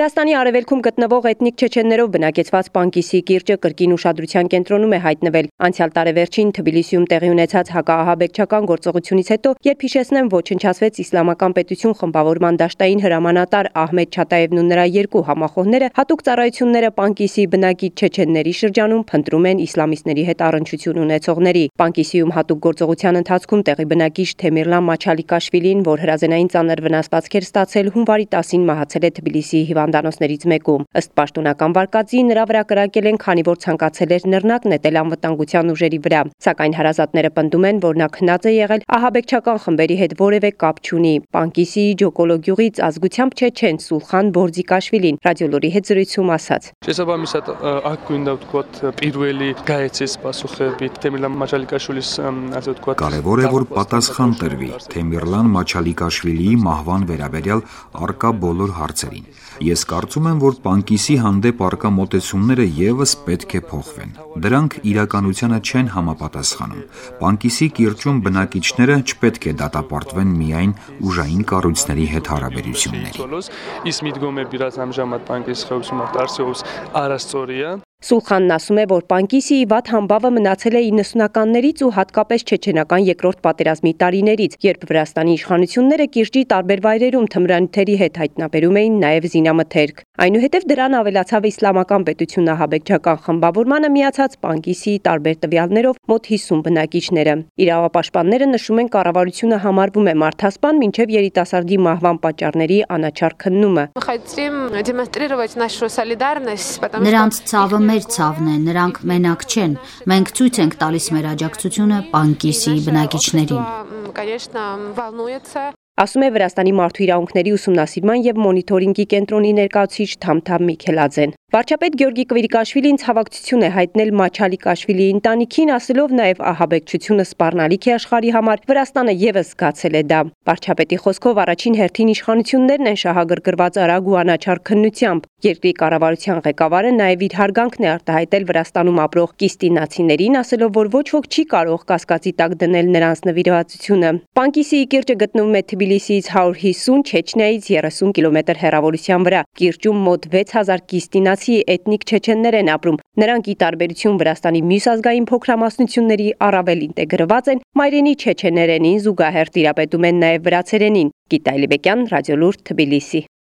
Վրաստանի արևելքում գտնվող էթնիկ չեչեններով բնակեցված Պանկիսի կիրճը կրկին ուշադրության կենտրոնում է հայտնվել։ Անցյալ տարեվերջին Թբիլիսիում տեղի ունեցած հակաահաբեկչական գործողությունից հետո, երբ հիշեցնեմ ոչնչացվեց Իսլամական պետություն խմբավորման դաշտային հրամանատար Ահմեդ Չատաևն ու նրա երկու համախոհները, հատուկ ծառայությունները Պանկիսի բնակիչ չեչենների շրջանում փնտրում են իսլամիստների հետ առնչություն ունեցողների։ Պանկիսիում հատուկ գործողության ընթացքում տեղի բնակիչ Թեմիրլան Մաչալիկաշվիլին, որ հրազենային ծանր վնասվածքեր ստացել, հունվարի 10-ին մահացել է Թբիլիսիի հիվանդանոցներից մեկում։ Ըստ պաշտոնական վարկածի նրա վրա կրակել են, քանի որ ցանկացել էր նռնակ նետել անվտանգության ուժերի վրա, սակայն հարազատները պնդում են, որ նա քնած է եղել, ահաբեկչական խմբերի հետ որևէ կապ չունի։ Պանկիսիի Ջոկոլո գյուղից ազգությամբ չեչեն Սուլխան Բորձիկաշվիլին ռադիոլորի հետ զրույցում ասաց. Შესაბამისად, აქ გვინდა ვთქვათ პირველი გაეცეს პასუხები Թեմիրլան Մաչալիկաշვილის ასე ვთქვათ. Կարևոր է, որ պատասխան տրվի Թեմիրլան Մաչալիկաշվիլիի մահվան վերաբերյալ արկա բոլոր հարցերին։ Ես կարծում եմ, որ Պանկիսի հանդեպ արկա մոտեցումները եւս պետք է փոխվեն։ Դրանք իրականությանը չեն համապատասխանում։ Պանկիսի կիրճում բնակիչները չպետք է դատապարտվեն միայն ուժային կառույցների հետ հարաբերությունների։ Ის მიდგომები, რაც ამჟამად Պանկիսի խորհրդում არსებობს, არასწორია. Սուլխանն ասում է, որ Պանկիսիի վատ համբավը մնացել է 90-ականներից ու հատկապես չեչենական երկրորդ պատերազմի տարիներից, երբ Վրաստանի իշխանությունները կիրճի տարբեր վայրերում թմրանյութերի հետ հայտնաբերում էին նաև զինամթերք։ Այնուհետև դրան ավելացավ Իսլամական պետություն ահաբեկչական խմբավորմանը միացած Պանկիսիի տարբեր տվյալներով մոտ 50 բնակիչները։ Իրավապաշտպանները նշում են, կառավարությունը համարվում է մարդասպան մինչև երիտասարդի մահվան պատճառների անաչառ քննումը։ Նրանց ցավը մեր ցավն է, նրանք մենակ չեն։ Մենք ցույց ենք տալիս մեր աջակցությունը Պանկիսիի բնակիչներին։ Ասում է Վրաստանի մարդու իրավունքների ուսումնասիրման եւ մոնիթորինգի կենտրոնի ներկայացուցիչ Թամթամ Միքելաձեն։ Վարչապետ Գյորգի Կվիրիկաշվիլին ցավակցություն է հայտնել Մաչալիկաշվիլիի ընտանիքին, ասելով նաև ահաբեկչությունը սպառնալիք է աշխարհի համար, Վրաստանը եւս զգացել է դա։ Վարչապետի խոսքով առաջին հերթին իշխանություններն են շահագրգռված արագ ու անաչառ քննությամբ։ Երկրի կառավարության ղեկավարը նաև իր հարգանքն է արտահայտել Վրաստանում ապրող կիստինացիներին, ասելով, որ ոչ ոք չի կարող կասկածի տակ դնել նրանց նվիրվածությունը։ Պանկիսիի կիրճը գտնվում է Թբիլիսիից 150, Չեչնիայից 30 կիլոմետր հեռավորության վրա։ Կիրճում մոտ 6000 կիստինացի էթնիկ չեչեններ են ապրում։ Նրանք ի տարբերություն Վրաստանի մյուս ազգային փոքրամասնությունների առավել ինտեգրված են, մայրենի չեչեներենին զուգահեռ տիրապետում են նաև վրացերենին։ Գիտա Ալիբեկյան, Ռադիոլուր, Թբիլիսի։